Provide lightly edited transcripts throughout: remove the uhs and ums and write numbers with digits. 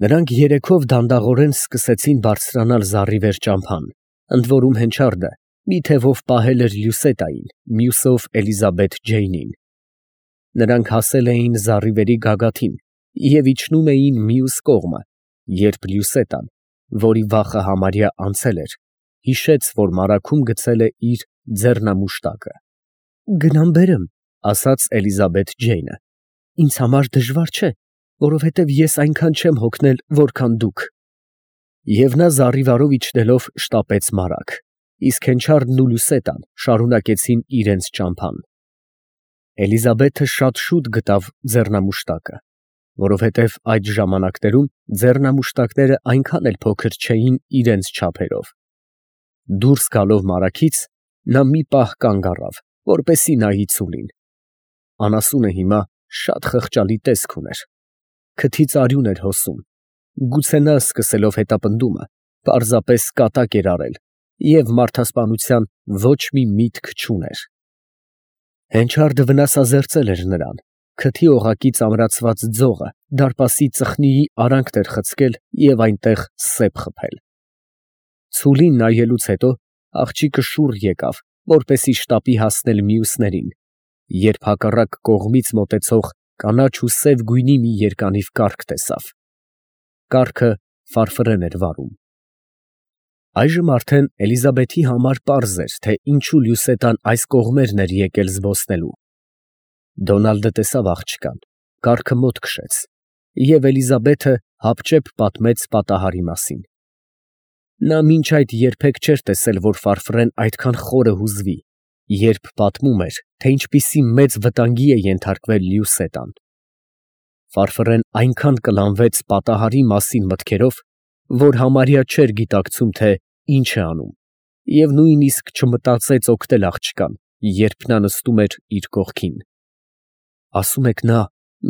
Նրանք երեքով դանդաղորեն սկսեցին բարձրանալ զառիվեր ճամփան, ընդ որում հենչարդը մի թևով պահել էր Լյուսետային, մյուսով Էլիզաբեթ Ջեյնին։ Նրանք հասել էին զառիվերի գագաթին և իջնում էին մյուս կողմը, երբ Լյուսետան, որի վախը համարյա անցել էր, հիշեց, որ մարագում գցել է իր ձեռնամուշտակը։ «Գնամ բերեմ», ֊ ասաց Էլիզաբեթ Ջեյնը։ «Ինձ համար դժվար չէ, որովհետև ես այնքան չեմ հոգնել, որքան դուք»։ Եվ նա զառիվարով իջնելով շտապեց մարագ, իսկ հենչարդն ու Լյուսետան շարունակեցին իրենց ճամփան։ Էլիզաբեթը շատ շուտ գտավ ձեռնամուշտակը, որովհետև այդ ժամանակներում ձեռնամուշտակները այնքան էլ փոքր չէին իրենց չափերով։ Դուրս գալով մարագից, նա մի պահ կանգ առավ, որպեսզի նայի ցուլին։ Անասունը հիմա շատ խղճալի տեսք ուներ, քթից արյուն էր հոսում, գուցե նա, սկսելով հետապնդումը, պարզապես կատակ էր արել և մարդասպանության ոչ մի միտք չուներ։ Հենչարդը վնասազերծել էր նրան, քթի օղակից ամրացված ձողը դարպասի ծխնիի արանքն էր խցկել և այնտեղ սեպ խփել։ Ցուլին նայելուց հետո աղջիկը շուռ եկավ, որպեսզի շտապի հասնել մյուսներին, երբ հակառակ կողմից մոտեցող կանաչ ու սև գույնի մի երկանիվ կառք տեսավ։ Կառքը ֆարֆռեն էր վարում։ Այժմ արդեն Էլիզաբեթի համար պարզ էր, թե ինչու Լյուսետան այս կողմերն էր եկել զբոսնելու։ Դոնալդը տեսավ աղջկան, կառքը մոտ քշեց, և Էլիզաբեթը հապճեպ պատմեց պատահարի մասին։ Նա մինչ այդ երբեք չէր տեսել, որ ֆարֆռեն այդքան խորը հուզվի, երբ պատմում էր, թե ինչպիսի մեծ վտանգի է ենթարկվել Լյուսետան։ Ֆարֆռեն այնքան կլանվեց պատահարի մասին մտքերով, որ համարյա չէր գիտակցում, թե ինչ է անում, և նույնիսկ չմտածեց օգնել աղջկան, երբ նա նստում էր իր կողքին։ «Ասում եք նա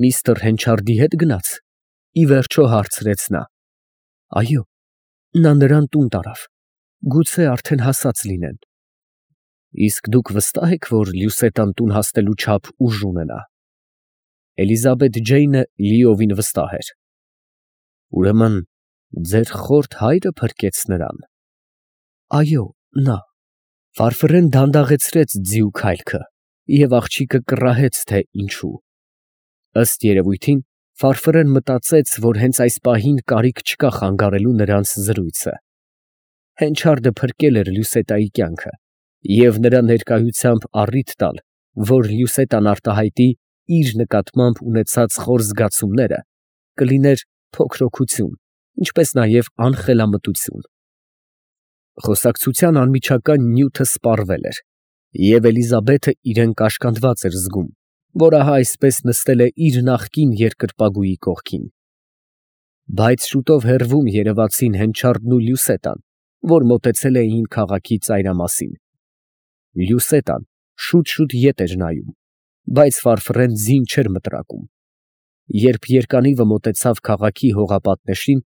միստր Հենչարդի հետ գնաց, ֊ ի վերջո հարցրեց նա։ ֊ Այո, նա նրան տուն տարավ, գուցե արդեն հասած լինեն։ ֊ Իսկ դուք վստահ եք, որ Լյուսետան տուն հասնելու չափ ուժ ունենա։ Էլիզաբեթ Ջեյնը լիովին վստահ էր։ ֊ Ուրեմն ձեր խորթ հայրը փրկեց նրան։ ֊ Այո, նա։ Ֆարֆռեն դանդաղեցրեց ձիու քայլքը, և աղջիկը կռահեց, թե ինչու։ Ըստ երևույթին, Ֆարֆռեն մտածեց, որ հենց այս պահին կարիք չկա խանգարելու նրանց զրույցը։ Հենչարդը փրկել էր Լյուսետայի կյանքը, և նրա ներկայությամբ առիթ տալ, որ Լյուսետան արտահայտի իր նկատմամբ ունեցած խոր զգացումները, կլիներ փոքրօգություն, ինչպես նաև անխելամտություն։ Խոսակցության անմիջական նյութը սպառվել էր, և Էլիզաբեթը իրեն կաշկանդված էր զգում, որ ահա այսպես նստել է իր նախկին երկրպագուի կողքին։ Բայց շուտով հեռվում երևացին Հենչարդն ու Լյուսետան, որ մոտեցել էին քաղաքի ծայրամասին։ Լյուսետան շուտ ետ էր նայում, բայց Ֆարֆռեն ձին չէր մտրակում։ Երբ երկանիվը մոտեցավ քաղաքի հողապատնեշին,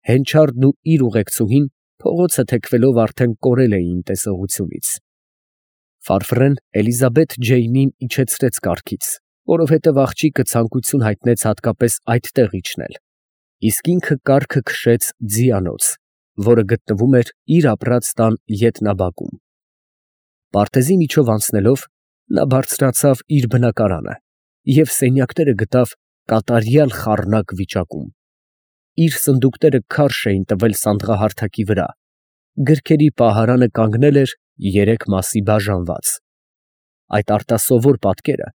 Հենչարդն ու իր ուղեկցուհին փողոցը թեքվելով արդեն կորել էին տեսողությունից։ Ֆարֆռեն Էլիզաբեթ Ջեյնին իջեցրեց կառքից, որովհետև աղջիկը ցանկություն հայտնեց հատկապես այդտեղ իջնել, իսկ ինքը կառքը քշեց ձիանոց, որը գտնվում էր իր ապրած տան ետնաբակում։ Պարտեզի միջով անցնելով, նա բարձրացավ իր բնակարանը և սենյակները գտավ կատարյալ խառնակ վիճակում։ Իր սնդուկները քարշ էին տվել սանդղահարթակի վրա, գրքերի պահարանը կանգնել էր երեք մասի բաժանված։ Այդ արտասովոր պատկերը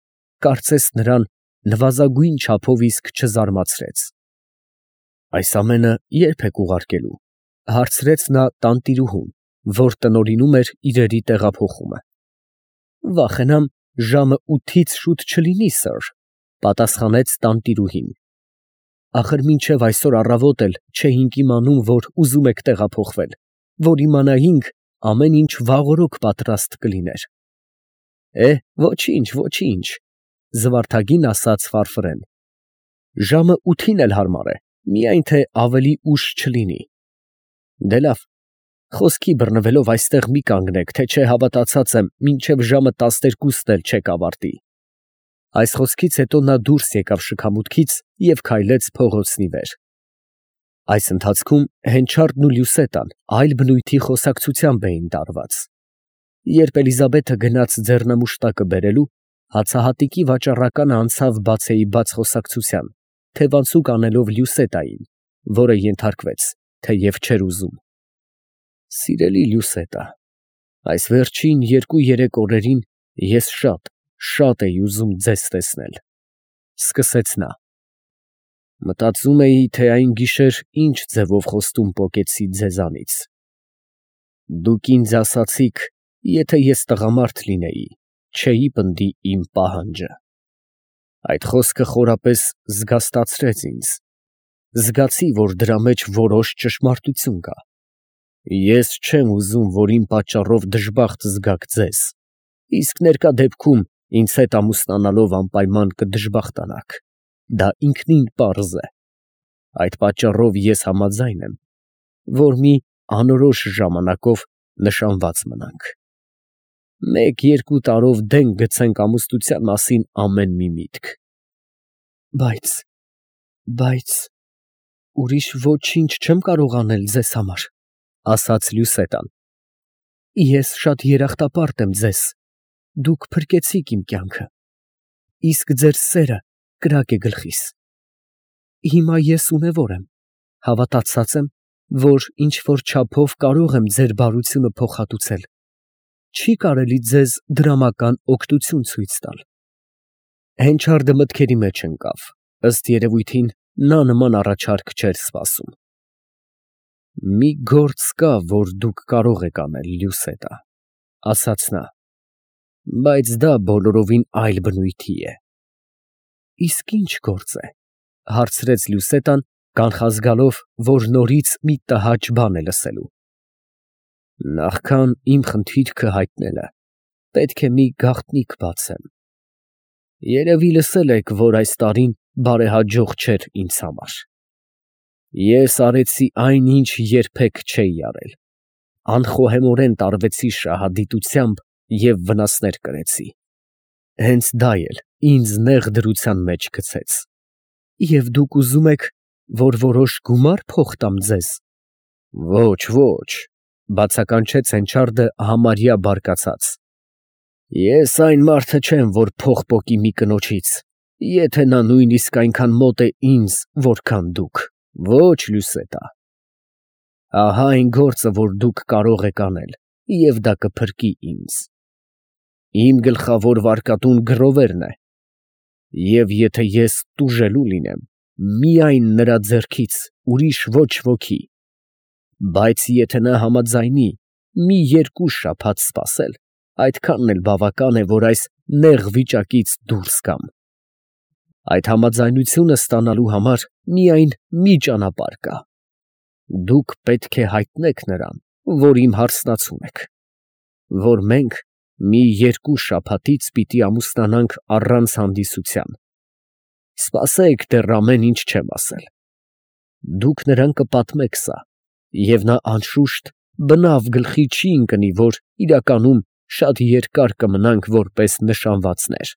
կարծես նրան նվազագույն չափով իսկ չզարմացրեց։ ֊ Այս ամենը ե՞րբ եք ուղարկելու, ֊ հարցրեց նա տանտիրուհուն, որ տնօրինում էր իրերի տեղափոխումը։ ֊ Վախենամ ժամը 8-ից շուտ չլինի, սըր, ֊ պատասխանեց տանտիրուհին։ ֊ Ախր մինչև այսօր առավոտ էլ չէինք իմանում, որ ուզում եք տեղափոխվել, որ իմանայինք ամեն ինչ վաղօրոք պատրաստ կլիներ։ ֊ Ոչինչ, ֊ զվարթագին ասաց Ֆարֆռեն։ ֊ Ժամը 8-ին էլ հարմար է, միայն թե ավելի ուշ չլինի։ ֊ Դե լավ, խոսքի բռնվելով այստեղ մի կանգնեք, թե չէ հավատացած եմ, մինչև ժամը 12-ն էլ չեք ավարտի։ Այս խոսքից հետո նա դուրս եկավ շքամուտքից և քայլեց փողոցնի վեր։ Այս ընթացքում Հենչարդն ու Լյուսետան այլ բնույթի խոսակցությամբ էին տարված։ Երբ Էլիզաբեթը գնաց ձեռնամուշտակը բերելու, հացահատիկի վաճառականը անցավ բացեի բաց խոսակցության, թևանցուկ անելով Լյուսետային, որը ենթարկվեց, թեև չէր ուզում. «Սիրելի Լյուսետա, այս վերջին 2-3 օրերին ես շատ էի ուզում ձեզ տեսնել», ֊ սկսեց նա։ «Մտածում էի, թե այն գիշեր ինչ ձևով խոստում պոկեցի ձեզանից։ Դուք ինձ ասացիք, եթե ես տղամարդ լինեի, չէի պնդի իմ պահանջը։ Այդ խոսքը խորապես զգաստացրեց ինձ։ Զգացի, որ դրա մեջ որոշ ճշմարտություն կա։ Ես չեմ ուզում, որ իմ պատճառով դժբախտ զգաք ձեզ, իսկ ներկա դեպքում ինձ հետ ամուսնանալով անպայման կդժբախտանաք։ Դա ինքնին պարզ է։ Այդ պատճառով ես համաձայն եմ, որ մի անորոշ ժամանակով նշանված մնանք։ 1-2 տարով դենք գցենք ամուսնության մասին ամեն մի միտք։ Բայց ուրիշ ոչինչ չեմ կարող անել ձեզ համար, ֊ ասաց Լյուսետան։ Ես շատ երախտապարտ եմ ձեզ, դուք փրկեցիք իմ կյանքը, իսկ ձեր սերը կրակ է գլխիս։ Հիմա ես ունևոր եմ, հավատացած եմ, որ ինչ-որ չափով կարող եմ ձեր բարությունը փոխհատուցել։ Չի կարելի ձեզ դրամական օգնություն ցույց տալ։ Հենչարդը մտքերի մեջ ընկավ, ըստ երևույթին նա նման առաջարկ չէր սպասում։ Մի գործ կա, որ դուք կարող եք անել, Լյուսետա, ֊ ասաց նա, բայց դա բոլորովին այլ բնույթի է։ Իսկ ինչ գործ է, ֊ հարցրեց Լյուսետան, կանխազգալով, որ նորից մի տհաճ բան է լսելու։ Նախքան իմ խնդիրքը հայտնելը, պետք է մի գաղտնիք բացեմ։ Երևի լսել եք, որ այս տարին բարեհաջող չէր ինձ համար։ Ես արեցի այն, ինչ երբեք չէի արել։ Անխոհեմորեն տարվեցի շահադիտությամբ և վնասներ կրեցի։ Հենց դա էլ ինձ նեղ դրության մեջ գցեց։ Եվ դուք ուզում եք, որ որոշ գումար փող տամ ձեզ։ Ոչ, բացականչեց Հենչարդը համարյա բարկացած։ Ես այն մարդը չեմ, որ փող պոկի մի կնոջից, եթե նա նույնիսկ այնքան մոտ է ինձ, որքան դուք։ Ոչ, Լյուսետա։ Ահա այն գործը, որ դուք կարող եք անել, և դա կփրկի ինձ։ Իմ գլխավոր վարկատուն գրովերն է, և եթե ես տուժելու լինեմ, միայն նրա ձեռքից ուրիշ ոչ ոքի, բայց եթե նա համաձայնի մի 2 շաբաթ սպասել, այդքանն էլ բավական է, որ այս նեղ վիճակից դուրս գամ։ Այդ համաձայնությունը ստանալու համար միայն մի ճանապարհ կա։ Դուք պետք է հայտնեք նրան, որ իմ հարսնացուն եք, որ մենք մի 2 շաբաթից պիտի ամուսնանանք առանց հանդիսության։ Սպասեք, դեռ ամեն ինչ չեմ ասել։ Դուք նրան կպատմեք սա, և նա անշուշտ բնավ գլխի չի ընկնի, որ իրականում շատ երկար կմնանք որպես նշանվածներ։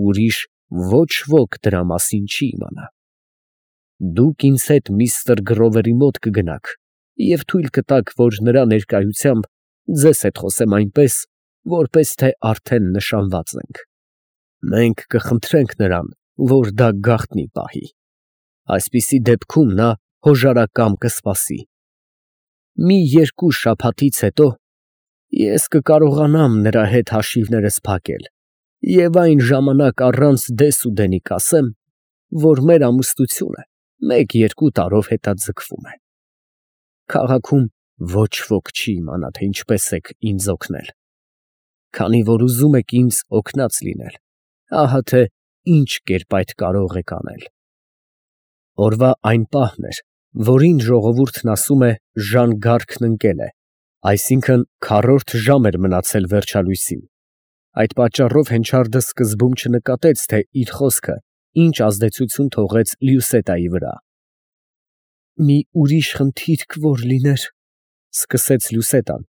Ուրիշ ոչ ոք դրա մասին չի իմանա։ Դուք ինձ հետ միստր Գրովերի մոտ կգնաք և թույլ կտաք, որ նրա ներկայությամբ ձեզ հետ խոսեմ այնպես, որպես թե արդեն նշանված ենք։ Մենք կխնդրենք նրան, որ դա գաղտնի պահի։ Այսպիսի դեպքում նա հոժարակամ կսպասի։ Մի 2 շաբաթից հետո ես կկարողանամ նրա հետ հաշիվներս փակել և այն ժամանակ առանց դես ու դենի կասեմ, որ մեր ամուսնությունը 1-2 տարով հետաձգվում է։ Քաղաքում ոչ ոք չի իմանա, թե ինչպես եք ինձ օգնել։ Քանի որ ուզում եք ինձ օգնած լինել, ահա թե ինչ կերպ այդ կարող եք անել։ Օրվա այն պահն էր, որին ժողովուրդն ասում է ժան֊գարգն ընկել է, այսինքն 4-րդ ժամ էր մնացել վերջալույսին։ Այդ պատճառով Հենչարդը սկզբում չնկատեց, թե իր խոսքը ինչ ազդեցություն թողեց Լյուսետայի վրա։ Մի ուրիշ խնդիրք որ լիներ, ֊ սկսեց Լյուսետան,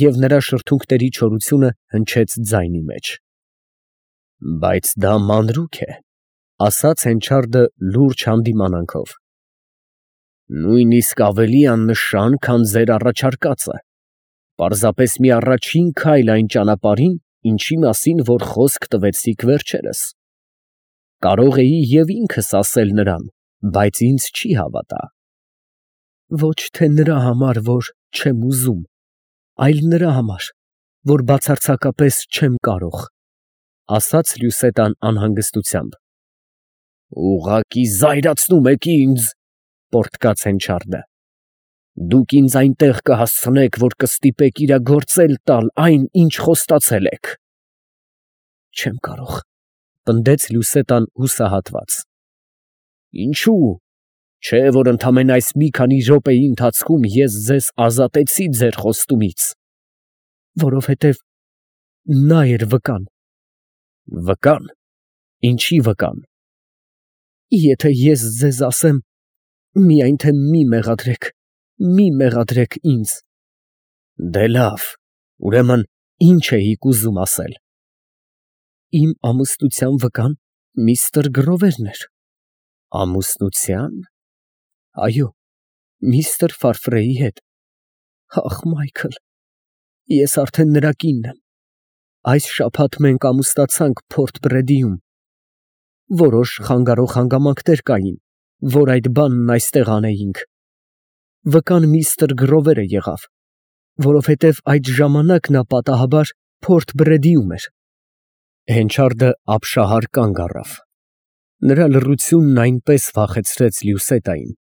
և նրա շրթունքների չորությունը հնչեց ձայնի մեջ։ Բայց դա մանրուք է, ֊ ասաց Հենչարդը լուրջ հանդիմանանքով։ Նույնիսկ ավելի աննշան, քան ձեր առաջարկածը, պարզապես մի առաջին քայլ այն ճանապարհին, ինչի մասին որ խոսք տվեցիք վերջերս։ Կարող էի և ինքս ասել նրան, բայց ինձ չի հավատա։ Ոչ թե նրա համար, որ չեմ ուզում, այլ նրա համար, որ բացարձակապես չեմ կարող, ասաց Լյուսետան անհանգստությամբ։ Ուղղակի զայրացնում եք ինձ, պոռթկաց Հենչարդը։ Դուք ինձ այնտեղ կհասցնեք, որ կստիպեք իրագործել տալ այն, ինչ խոստացել եք։ Չեմ կարող, պնդեց Լյուսետան հուսահատված։ Ինչու՞։ Չէ, որ ընդամենը այս մի քանի րոպեի ընթացքում ես ձեզ ազատեցի ձեր խոստումից։ Որովհետև նա էր վկան։ Վկան։ Ինչի վկան։ Եթե ես ձեզ ասեմ, միայն թե մի մեղադրեք ինձ։ Դե լավ, ուրեմն ինչ էիք ուզում ասել։ Իմ ամուսնության վկան միստր Գրովերն էր։ Ամուսնության։ Այո, միստր Ֆարֆրեի հետ։ Ախ, Մայքլ, ես արդեն նրա կինն եմ։ Այս շաբաթ մենք ամուսնացանք Փորտ Բրեդիում։ Որոշ խանգարող հանգամանքներ կային, որ այդ բանն այստեղ անեինք։ Վկան միստր Գրովերը եղավ, որովհետև այդ ժամանակ նա պատահաբար Փորտ Բրեդիում էր։ Հենչարդը ապշահար կանգ առավ։ Նրա լռությունն այնպես վախեցրեց Լյուսետային,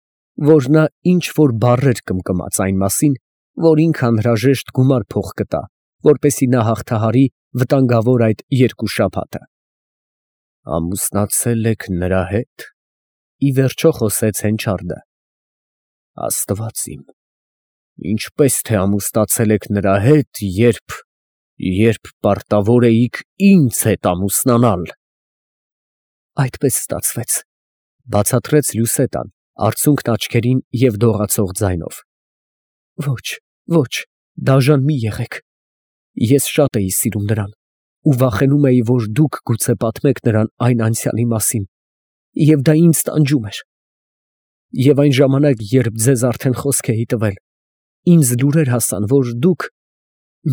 որ նա ինչ-որ բառեր կմկմաց այն մասին, որ ինքը անհրաժեշտ գումար փող կտա, որպեսզի նա հաղթահարի վտանգավոր այդ երկու շաբաթը։ Ամուսնացել եք նրա հետ։ Ի վերջո խոսեց Հենչարդը։ Աստված իմ, ինչպես թե ամուսնացել եք նրա հետ, երբ պարտավոր էիք ինձ հետ ամուսնանալ։ Այդպես ստացվեց, բացատրեց Լյուսետան, արցունքն աչքերին և դողացող ձայնով։ Ոչ, դաժան մի եղեք։ Ես շատ էի սիրում նրան ու վախենում էի, որ դուք գուցե պատմեք նրան այն անցյալի մասին, և դա ինձ տանջում էր։ Եվ այն ժամանակ, երբ ձեզ արդեն խոսք էի տվել, ինձ լուրեր հասան, որ դուք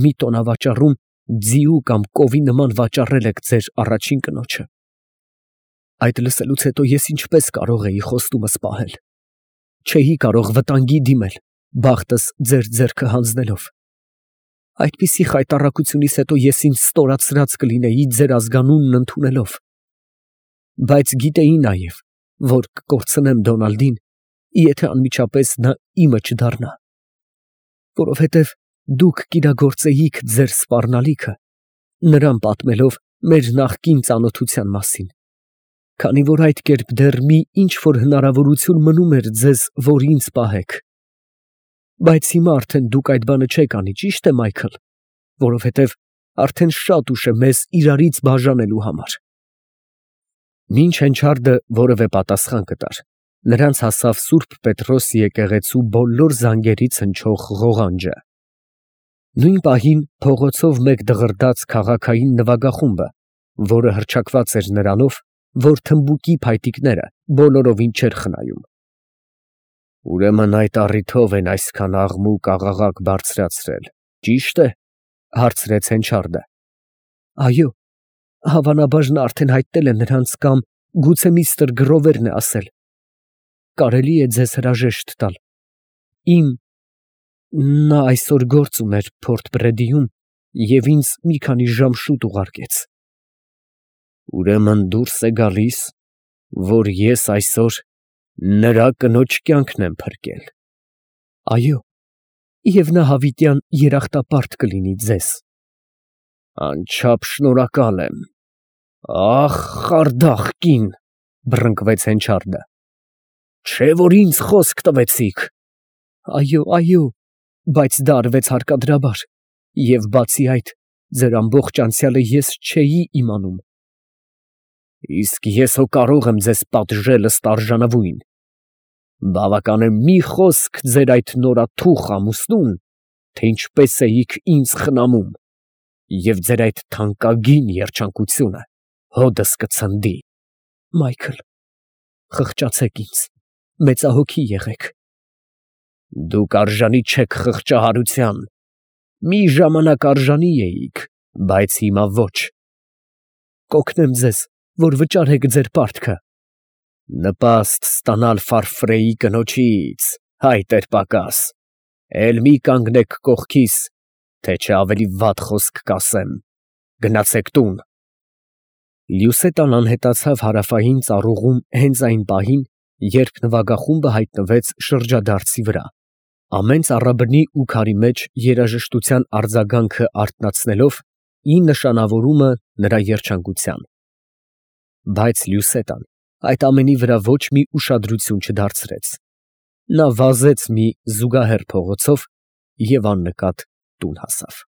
մի տոնավաճառում ձիու կամ կովի նման վաճառել եք ձեր առաջին կնոջը։ Այդ լսելուց հետո ես ինչպես կարող էի խոստումս պահել։ Չէի կարող վտանգի դիմել, բախտս ձեր ձեռքը հանձնելով։ Այդպիսի խայտառակությունից հետո ես ինձ ստորացրած կլինեի ձեր ազգանունն ընդունելով։ Բայց գիտեի նաև, որ կկորցնեմ Դոնալդին, եթե անմիջապես նա իմը չդառնա։ Որովհետև դուք կիրագործեիք ձեր սպառնալիքը, նրան պատմելով մեր նախկին ծանոթության մասին, քանի որ այդ կերպ դեռ մի ինչ-որ հնարավորություն մնում էր ձեզ, որ ինձ պահեք։ Բայց հիմա արդեն դուք այդ բանը չեք անի, ճիշտ է, Մայքլ, որովհետև արդեն շատ ուշ է մեզ իրարից բաժանելու համար։ Մինչ Հենչարդը որևէ պատասխան կտար, նրանց հասավ Սուրբ Պետրոս եկեղեցու բոլոր զանգերից հնչող ղողանջը։ Նույն պահին փողոցով մեկ դղրդաց քաղաքային նվագախումբը, որը հռչակված էր նրանով, որ թմբուկի փայտիկները բոլորովին չէր խնայում։ Ուրեմն այդ առիթով են այսքան աղմուկ բարձրացրել, ճիշտ է, հարցրեց Հենչարդը։ Այո, հավանաբար նա արդեն հայտնել է նրանց կամ գուցե միստր Գրովերն է ասել։ Կարելի է ձեզ հրաժեշտ տալ։ Նա այսօր գործ ուներ Փորտ Բրեդիում և ինձ մի քանի ժամ շուտ ուղարկեց։ Ուրեմն դուրս է գալիս, որ ես այսօր նրա կնոջ կյանքն եմ փրկել։ Այո, և նա հավիտյան երախտապարտ կլինի ձեզ։ Անչափ շնորհակալ եմ։ Ախ, խարդախ կին, բռնկվեց Հենչարդը։ Չէ՞ որ ինձ խոսք տվեցիք։ Այո, բայց դա արվեց հարկադրաբար, և բացի այդ, ձեր ամբողջ անցյալը ես չէի իմանում։ Իսկ ես հո կարող եմ ձեզ պատժել ըստ արժանվույն։ Բավական է մի խոսք ձեր այդ նորաթուխ ամուսնուն, թե ինչպես էիք ինձ խնամում, և ձեր այդ թանկագին երջանկությունը հօդս կցնդի։ Մայքլ, խղճացեք ինձ, մեծահոգի եղեք, Դուք արժանի չեք խղճահարության. մի ժամանակ արժանի էիք, բայց հիմա ոչ։ Կօգնեմ ձեզ, որ վճարեք ձեր պարտքը։ Նպաստ ստանալ Ֆարֆրեի կնոջից, հայտ էր պակաս։ Էլ մի կանգնեք կողքիս, թե չէ ավելի վատ խոսք կասեմ։ Գնացեք տուն։ Լյուսետան անհետացավ հարավային ծառուղում հենց այն պահին, երբ նվագախումբը հայտնվեց շրջադարձի վրա, ամեն ծառաբնի ու քարի մեջ երաժշտության արձագանքը արթնացնելով ի նշանավորումը նրա երջանկության։ Բայց Լյուսետան այդ ամենի վրա ոչ մի ուշադրություն չդարձրեց. նա վազեց մի զուգահեռ փողոցով և աննկատ տուն հասավ։